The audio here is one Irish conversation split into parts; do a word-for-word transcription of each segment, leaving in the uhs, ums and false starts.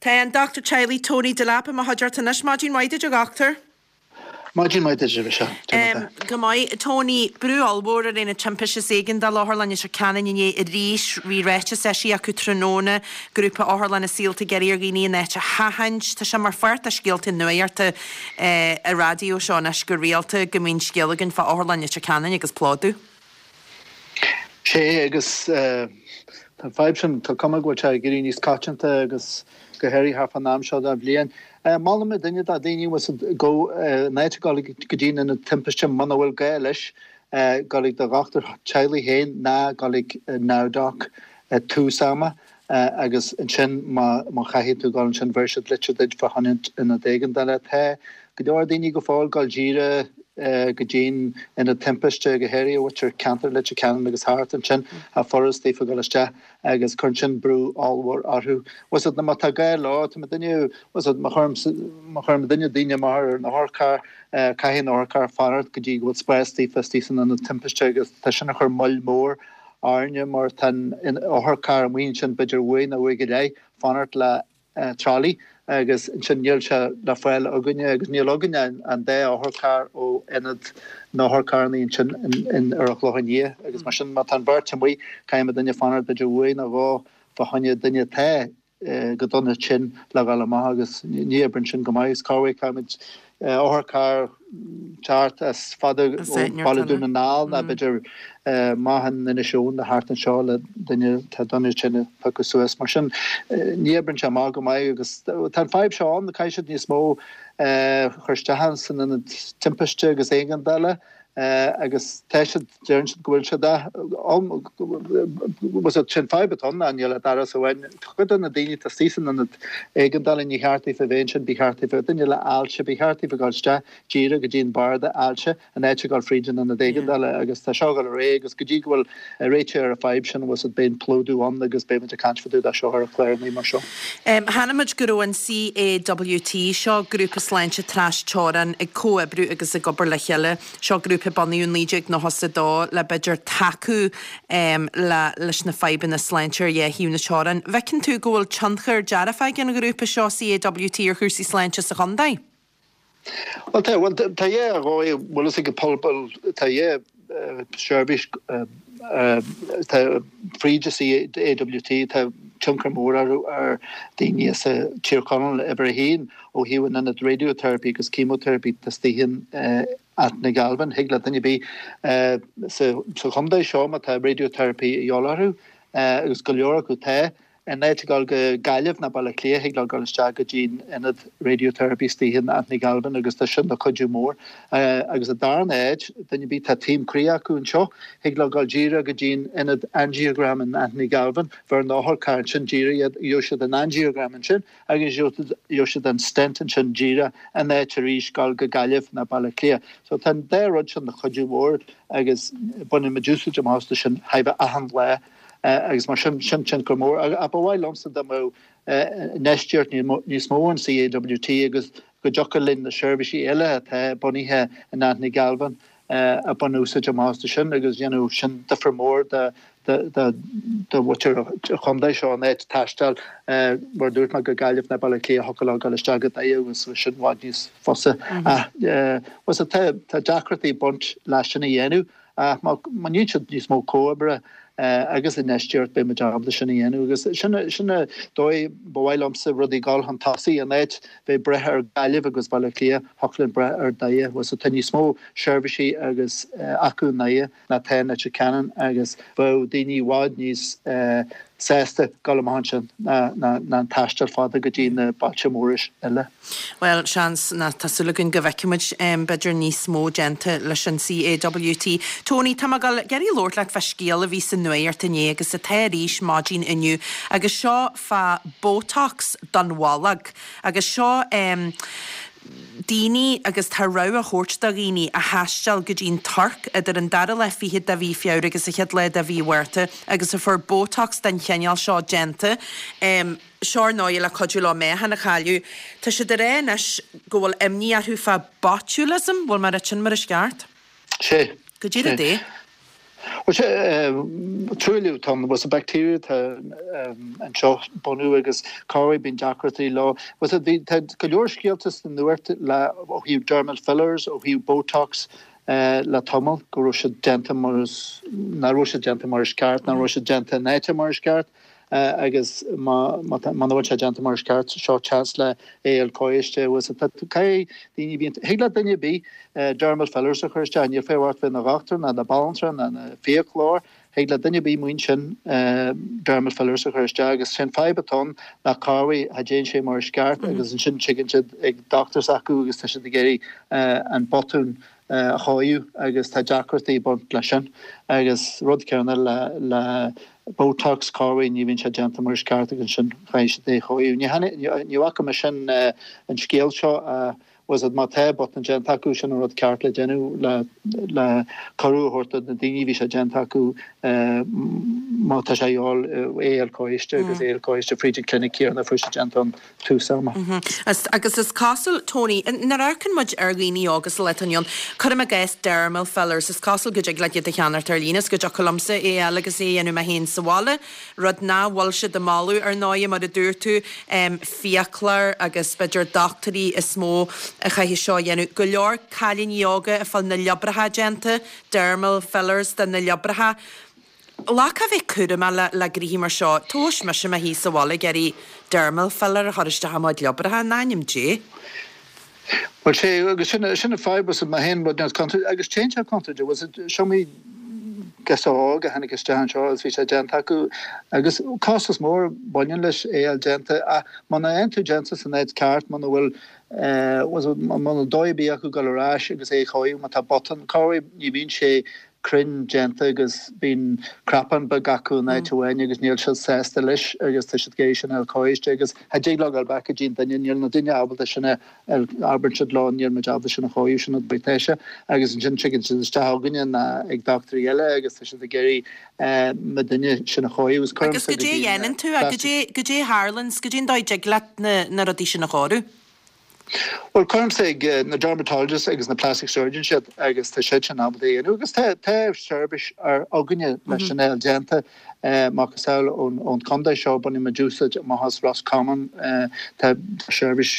Tá an dochtúir teaghlaigh Tony Delap i mo chuideachta anois. Maidin mhaith duit, a dhochtúir. Maidin mhaith duit, a Mhichelle. Go maith. Tony, brú ollmhór ar Aonad Timpiste is Éigeandála Otharlann Leitir Ceanainn inné arís. Bhí ráiteas eisithe acu tráthnóna, grúpa otharlanna saolta ag iarraidh ar dhaoine an áit a sheachaint. Tá sé mar pháirt de scéalta nuachta ar raidió seo anois go rialta go mbíonn scéal againn fá Otharlann Leitir Ceanainn agus plódú. Sé agus tá an fadhb sin, tá cuma go bhfuil sé ag éirí níos coitianta agus go háirithe thart fán am seo den bhliain. Molaim duine dá daoine go in áit a ghabháil go dtí an ionad timpiste muna bhfuil gá leis, gabháil ag do dhochtúir teaghlaigh féin ná gabháil ag NowDoc tús ama agus ansin má má chaithfidh tú gabháil ansin bheir siad litir duit fá choinne ionad éigeandála. Tá go leor daoine go fóill gabháil díreach go dtí'n ionad timpiste, go háirithe mhuintir ceantar Leitir Ceanainn agus thart ansin, tá furast daofa gabháil isteach agus cuireann sin brú ollmhór orthu. Bhfuil fhios agat, má tá gá leo, tá mo duine, bhfuil fhios agat, má chuirim, má chuirim duine daoine amach ar an otharcharr, caithfidh an otharcharr fanacht go dtí go bhfuil spás daofa istigh san ionad timpiste agus tá sin ag cur moill mhór orainne mar tá an otharcharr amuigh ansin b'fhéidir uair nó uair go leith fanacht le trolley agus ansin níl sé le fáil againne agus níl againne an dá otharcharr ó ionad na n-otharcharranna ansin in ar an Chlochán Liath agus mar sin má tá an bheirt amuigh caithfidh duine fanacht b'fhéidir uair nó dhó fá choinne duine atá go dona tinn le dhul amach agus ní oibríonn sin go maith agus corruair caithfimid otharcharr teacht as fada ó Bhaile Dún na nGall ná b'fhéidir amach in Inis Eoghain nó thart anseo le duine atá dona tinn a phiocadh suas. Mar sin ní oibríonn sé amach go maith agus tá an fadhb seo ann, caithfidh siad níos mó a chur isteach san ionad timpiste agus éigeandála agus tá siad, deireann siad go bhfuil siad ann, sin fadhb atá ann ná níl ach doras amháin. Cuid de na daoine atá istigh san ionad éigeandála ní cheart daofa bheith ansin, ba cheart daofa, duine le ailse, ba cheart daofa dul isteach díreach go dtí an barda ailse in áit a dhul fríd an ionad éigeandála agus tá seo ag dul ar aghaidh agus go dtí go bhfuil réiteach ar an fadhb sin bhfuil fhios agat beidh an plódú ann agus beidh muid ag caint fá dtaobh de seo ar an chlár mar seo. Chonaic muid go raibh an CAWT, seo grúpa sláinte tras-teorann, ag comhoibriú agus ag obair le chéile. Seo grúpa a bunaíodh naoi déag nócha a dó le b'fhéidir tacú le leis na fadhbanna sláinte ar dhá thaobh na teorann. Bhfeiceann tú go bhfuil tionchar dearfach ag an ghrúpa seo CAWT ar chúrsaí sláinte sa chontae? Bhuel tá, bhuel tá dhá dhóigh, bhfuil fhios ag an pobal, tá dhá seirbhís tá fríd an CAWT, tá tionchar mór orthu ar daoine as Tír Chonaill uimhir a haon ó thaobh an ionad radiotherapy agus chemotherapy tá istigh in Anthony Galvin, thig le duine ar bith sa chontae seo má tá radiotherapy a dhíobháil orthu agus go leor acu tá, In áit a ghabháil go Gaillimh ná Baile Átha Cliath, thig leo dul isteach go dtí an ionad radiotherapy istigh in Anthony Galvin agus tá sin ina chuidiú mór. Agus an darna áit, duine ar bith, tá taom croí acu anseo, thig leo dul díreach go dtí an ionad angiogram in Anthony Galvin, bheir an otharcharr ansin díreach iad, gheobhaidh siad an angiogram ansin agus gheobhaidh siad an stent ansin díreach in áit arís dul go Gaillimh ná Baile Átha Cliath. So tá an dá rud sin ina chuidiú mór agus baineann muid úsáid amach astu sin chóir a bheith achan lá. Agus mar sin, sin tionchar mór. Ach ba mhaith liomsa dá mbeadh infheistíocht níos mó in CAWT agus go dtiocfadh linn na seirbhísí eile atá bunaithe in Anthony Galvin a baint úsáid amach astu sin agus dhéanfadh sin difear mór do mhuintir an chontae seo in áit taisteal, mar a dúirt mé, go Gaillimh ná Baile Átha Cliath, thiocfadh leo dul isteach go Doire agus sin i bhfad níos fusa. Ach tá deacrachtaí ag baint leis sin a dhéanamh. Ach má dhéanann siad níos mó comhoibre agus infheistíocht beidh muid ábalta sin a dhéanamh agus sin sin an dóigh ba mhaith liomsa rudaí dul chun tosaigh in áit bheith ag brath ar Gaillimh agus Baile Átha Cliath thiocfadh linn brath ar Doire bhuel so tá níos mó seirbhísí agus acu i nDoire ná tá in Leitir Ceanainn agus bheadh daoine i bhfad níos sásta dul amach ansin ná an taisteal fada go dtí na bailte móra eile. Bhuel, seans, ná tá súil againn go bhfeicfidh muid b'fhéidir níos mó déanta leis an CAWT. Tony, tá mé ag dul ag iarraidh labhairt leat fá scéal a bhí sa nuacht inné agus atá arís maidin inniu agus seo fá Botox don bholg agus seo daoine agus tá rabhadh á thabhairt do dhaoine a thaisteal go dtí an Tuirc idir an dara lá fichead de mhí Feabhra agus an chéad lá de mhí Mhárta agus a fuair Botox den chineál seo déanta. Seo ar ndóigh le cuidiú leo meáchan a chailleadh. Tá siad ag rá anois go bhfuil imní orthu fá botulism, bhfuil mé ag rá sin mar is ceart? Sé. Goidé rud é? Well sé truailliú tá was a bacteria tá anseo bunú agus corruair bíonn deacrachtaí leo. Was it bhí tá go leor scéalta sa nuacht le ó thaobh dermal fillers, ó thaobh Botox uh, le tamall go raibh siad déanta mar is nach raibh siad déanta mar is ceart, nach raibh siad déanta in áit mar is ceart. Uh, agus má bhfuil sé déanta mar is ceart seo chance le é a chóiste was daoine bíonn thig le duine ar bith dermal fillers a chur isteach níl fé bheith ina dhochtúir ná na banaltra ná na fiaclóir thig le duine ar bith muin sin dermal fillers a chur isteach agus sin fadhb atá ann ná corruair cha dtéann sé mar is ceart agus ansin tigeann siad ag dochtúir s'acu agus tá siad ag iarraidh an botún a chóiriú agus tá deacrachtaí baint leis sin agus rud céanna le le Botox corruair ní bhíonn sé déanta mar is ceart agus sin chaithfidh siad é a chóiriú. Ní bhfaca mé sin an scéal seo was it má tá botún déanta acu sin an rud ceart le déanamh le le cuireadh a thabhairt do na daoine bhí sé déanta acu má tá sé fháil é a chóiste agus é a chóiste fríd an clinic céanna fuair sé déanta an tús ama. Agus is cosúil Tony, nuair a amharcann muid ar dhaoine óga sa lá atá inniu ann, cuirim i gcás dermal fillers, is cosúil go dtig leat iad a cheannacht ar líne, is go dtiocfadh liomsa é a fháil agus é a dhéanamh mé féin sa bhaile, rud nach bhfuil siad ag moladh ar ndóigh mar a dúirt tú, fiaclóir agus b'fhéidir dochtúirí is mó a chaithfidh seo a dhéanamh. Go leor cailíní óga ag fáil na liobracha déanta, dermal fillers do na liobracha. Like a bheith cúramach le le gnoithí mar seo, tomhais mise mé thíos sa bhaile ag iarraidh dermal filler a chur isteach i mo liobracha, in ainm Dé. Well sé agus sin sin an fadhb was má théann rud agus téann sé contúirteach was it show me girseach óg a tháinig isteach anseo agus bhí sé déanta acu agus costas mór baineann leis é a déanta ach muna fhaigheann tú déanta san áit ceart muna bhfuil muna dóigh ar bith acu dul ar ais agus é a chóiriú má tá botún corruair ní bhíonn sé cruinn déanta agus bíonn cnapán beag acu in áit amháin agus níl siad sásta leis agus tá siad ag iarraidh sin a chóiriú agus cha dtig leo dul back go dtí an duine níl na duine ábalta sin a abair siad leo níl muid ábalta sin a chóiriú sin an dóigh sé agus ansin tigeann siad isteach chugainne ná ag dochtúirí eile agus tá siad ag iarraidh na duine sin a chóiriú agus Agus go dté dhéanann tú go dté go dté tharlann go dtí an dóigh dtig leat na na rudaí sin a chóiriú? Well cuirimse ag na dermatologists agus na plastic surgeons siad agus tá siad sin ábalta é a dhéanamh agus tá tá seirbhís ar againne leis sin é déanta macasamhail ón ón contae seo baineann muid úsáid amach as Roscommon tá seirbhís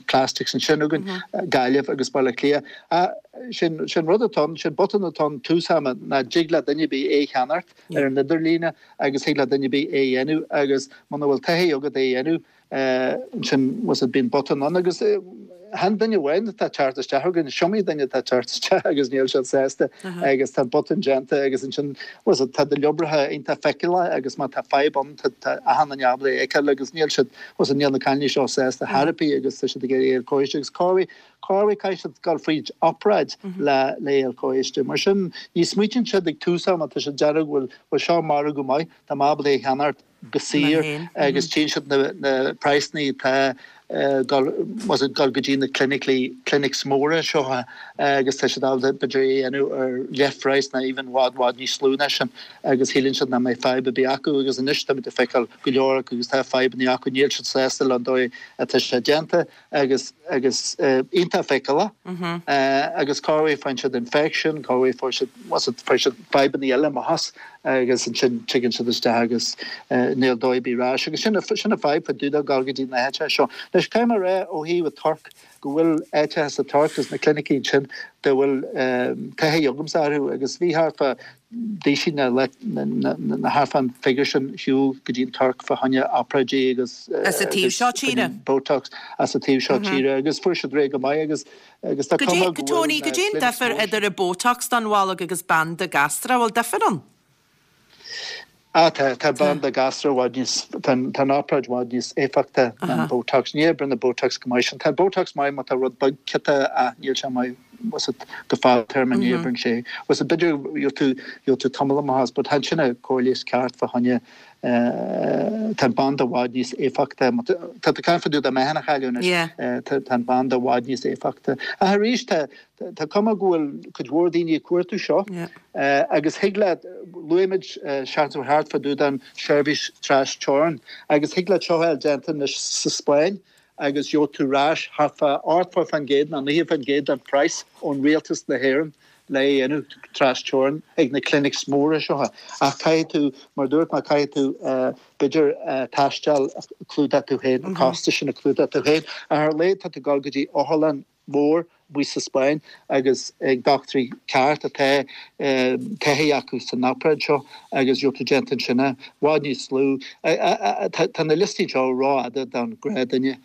plastics ansin againn Gaillimh agus Baile Átha Cliath. Sin sin rud atá sin botún atá tús ama ná dtig le duine ar bith é cheannacht ar an idirlíne agus thig le duine ar bith é a dhéanamh agus muna bhfuil taithí agat é a dhéanamh ansin was it bíonn botún ann agus chan duine amháin atá teacht isteach againn is iomaí duine atá teacht isteach agus níl siad sásta agus tá botún déanta agus ansin was it tá do liobracha iontach feiceálach agus má tá fadhb ann tá achan duine ábalta é a fheiceáil agus níl siad was it níl na cailíní seo sásta therapy agus tá siad ag iarraidh é a chóiste agus corruair corruair caithfidh siad dul fríd obráid le le é a chóiste mar sin ní smaoitíonn siad ag tús ama tá siad dearg bhfuil bhfuil seo margadh maith tá mé ábalta é a cheannacht go saor agus tchíonn siad na na praghsanna atá dul was it dul go dtí na clinically clinics móra seo agus tá siad ábalta b'fhéidir é a dhéanamh ar leathphraghas ná even bhfad bhfad níos lú ná sin agus shíleann siad nach mbeidh fadhb ar bith acu agus anois táimid ag feiceáil go leor acu agus tá fadhbanna acu níl siad sásta le an dóigh atá sé déanta agus agus iontach feiceálach agus corruair faigheann siad infection corruair fuair siad was it fuair siad fadhbanna eile amach as agus ansin tigeann siad isteach agus níl dóigh ar bith ar ais agus sin sin an fadhb fá dtaobh de dul go dtí na háite seo. Anois caithfidh mé a rá ó thaobh an Tuirc go bhfuil áiteacha sa Tuirc agus na clinicí sin de bhfuil taithí agamsa orthu agus bhí thart fá d'aoisigh na na thart fán figure sin shiúl go dtí an Tuirc fá choinne obráidí agus As an taobh seo tíre? Botox as an taobh seo tíre agus fuair siad réidh go maith agus agus tá cuma go Tony, go dté an difear idir an Botox don bholg agus banda gastrach, bhfuil difear ann? Ah tá tá banda gastrach i bhfad níos tá tá an obráid i bhfad níos éifeachta ná an Botox. Ní oibríonn an Botox go maith sin. Tá Botox maith má tá rud beag ciota ach níl sé maith was it go fadtéarma ní oibríonn sé. Was it b'fhéidir gheobhaidh tú gheobhaidh tú tamall amach as but tá sin an cóir leighis ceart fá choinne tá an banda i bhfad níos éifeachta. Tá tú caint fá dtaobh de meáchan a chailleadh anois. Tá an banda i bhfad níos éifeachta. Ach arís tá tá cuma go bhfuil cuid mhór daoine ag cuartú seo agus thig leat luaigh muid seachtain thart fá dtaobh den seirbhís trasteorann agus thig leat seo a fháil déanta anois sa Spáinn agus gheobhaidh tú ar ais thart fá ochtó faoin gcéad nó naocha faoin gcéad den praghas ón rialtas na hÉireann le é a dhéanamh tras teorainn ag na clinics móra seo. Ach caithfidh tú, mar dúirt mé, caithfidh tú b'fhéidir taisteal a chlúdach tú féin, an costas sin a chlúdach tú féin. Ach ar a laghad tá tú ag dul go dtí otharlann mhór amuigh sa Spáinn agus ag dochtúirí ceart atá taithí acu san obráid seo agus gheobhaidh tú déanta ansin i bhfad níos lú. Tá na liostaí seo rófhada don ghnáthdhuine.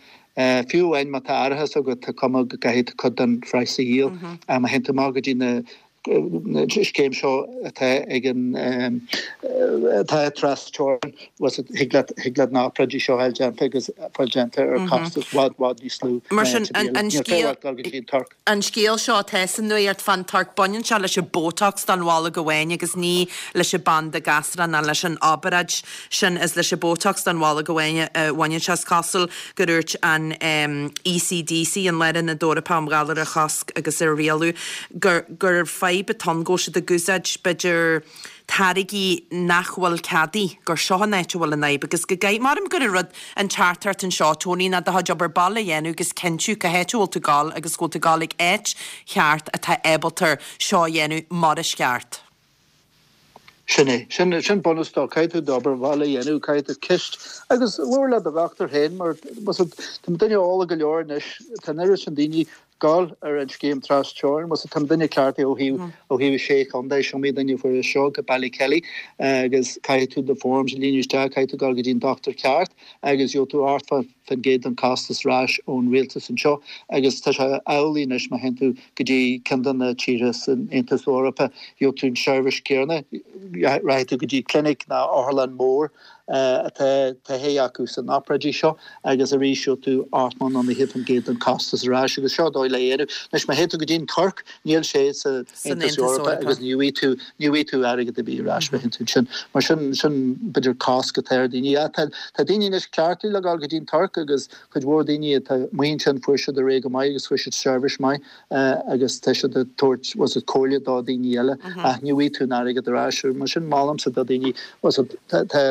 Fiú amháin má tá árachas agat tá cuma go gcaithfidh tú cuid den phraghas a dhíol. Má théann tú amach go dtí na scéim seo atá ag an atá tras teorainn thig leat thig leat na hobráidí seo a fháil déanta agus fáil déanta ar costas bhfad bhfad níos lú Mar sin an scéal an scéal seo atá sa nuacht fán Tuirc baineann sé leis an Botox don bholg amháin agus ní leis an banda gasra ná leis an obráid sin is leis an Botox don bholg amháin a bhaineann sé is cosúil gur dúirt an ECDC an Lárionad Eorpach um Ghalair a Chosc agus a Rialú gur gur fadhb atá ann go bhfuil siad ag úsáid b'fhéidir táirgí nach bhfuil ceadaithe, gur seo an áit a bhfuil an fhadhb agus go gcaith, maram gur an rud an teachtaireacht anseo Tony ná do chuid obair baile a dhéanamh agus cinntiú cá háit a bhfuil tú ag gabháil agus go bhfuil tú ag gabháil ag áit cheart atá ábalta seo a dhéanamh mar is ceart. Sin é. Sin, sin bunús dó. Caithfidh tú d'obair bhaile a dhéanamh, caithfidh tú ceist agus labhair le do dhochtúir féin mar tá duine eolach go leor anois, tá an oiread sin daoine gabháil ar an scéim tras teorann, tá duine cleachtaithe ó thaobh ó thaobh sé chontae, is iomaí duine a fuair é seo go Ballykelly agus caithfidh tú do forms a líonadh isteach, caithfidh tú gabháil go dtí an dochtúir ceart agus gheobhaidh tú ochtó faoin gcéad den costas ar ais ón rialtas anseo agus tá sé amhlaidh anois má théann tú go dtí ceann de na tíortha san Aontas Eorpach gheobhaidh tú an seirbhís céanna, rachaidh tú go dtí clinic nó otharlann mór atá taithí acu san obráidí seo agus arís gheobhaidh tú ochtó nó naocha faoin gcéad den costas ar ais agus seo dóigh le dhéanamh. Anois má théann tú go dtí an Tuirc níl sé sa Aontas Eorpach agus ní bhfaighidh tú ní bhfaighidh tú airgead ar bith ar ais má théann tú ansin. Mar sin sin b'fhéidir cosc atá ar daoine. Tá tá daoine anois cleachtaithe le gabháil go dtí an Tuirc agus cuid mhór daoine atá amuigh ansin fuair siad ar aghaidh go maith agus fuair siad seirbhís maith agus tá siad ag tabhairt was it comhairle do daoine eile ach ní bhfaighidh tú an airgead ar ais. Mar sin molaimse do daoine was it tá tá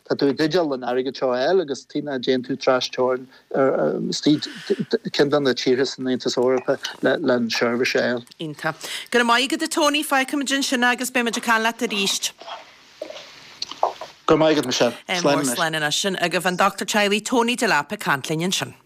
tá tú i dteideal an airgead seo a fháil agus tí ná déan tú tras teorainn istigh ceann de na tíortha san Aontas Eorpach le le an seirbhís a fháil. Iontach. Go raibh maith agat a Tony, fágfaimid ansin agus beimid ag caint leat arís. Go raibh maith agat Michelle. Slán anois. Slán anois. Sin agaibh an Dochtúir Teaghlaigh Tony Delap ag caint linn ansin.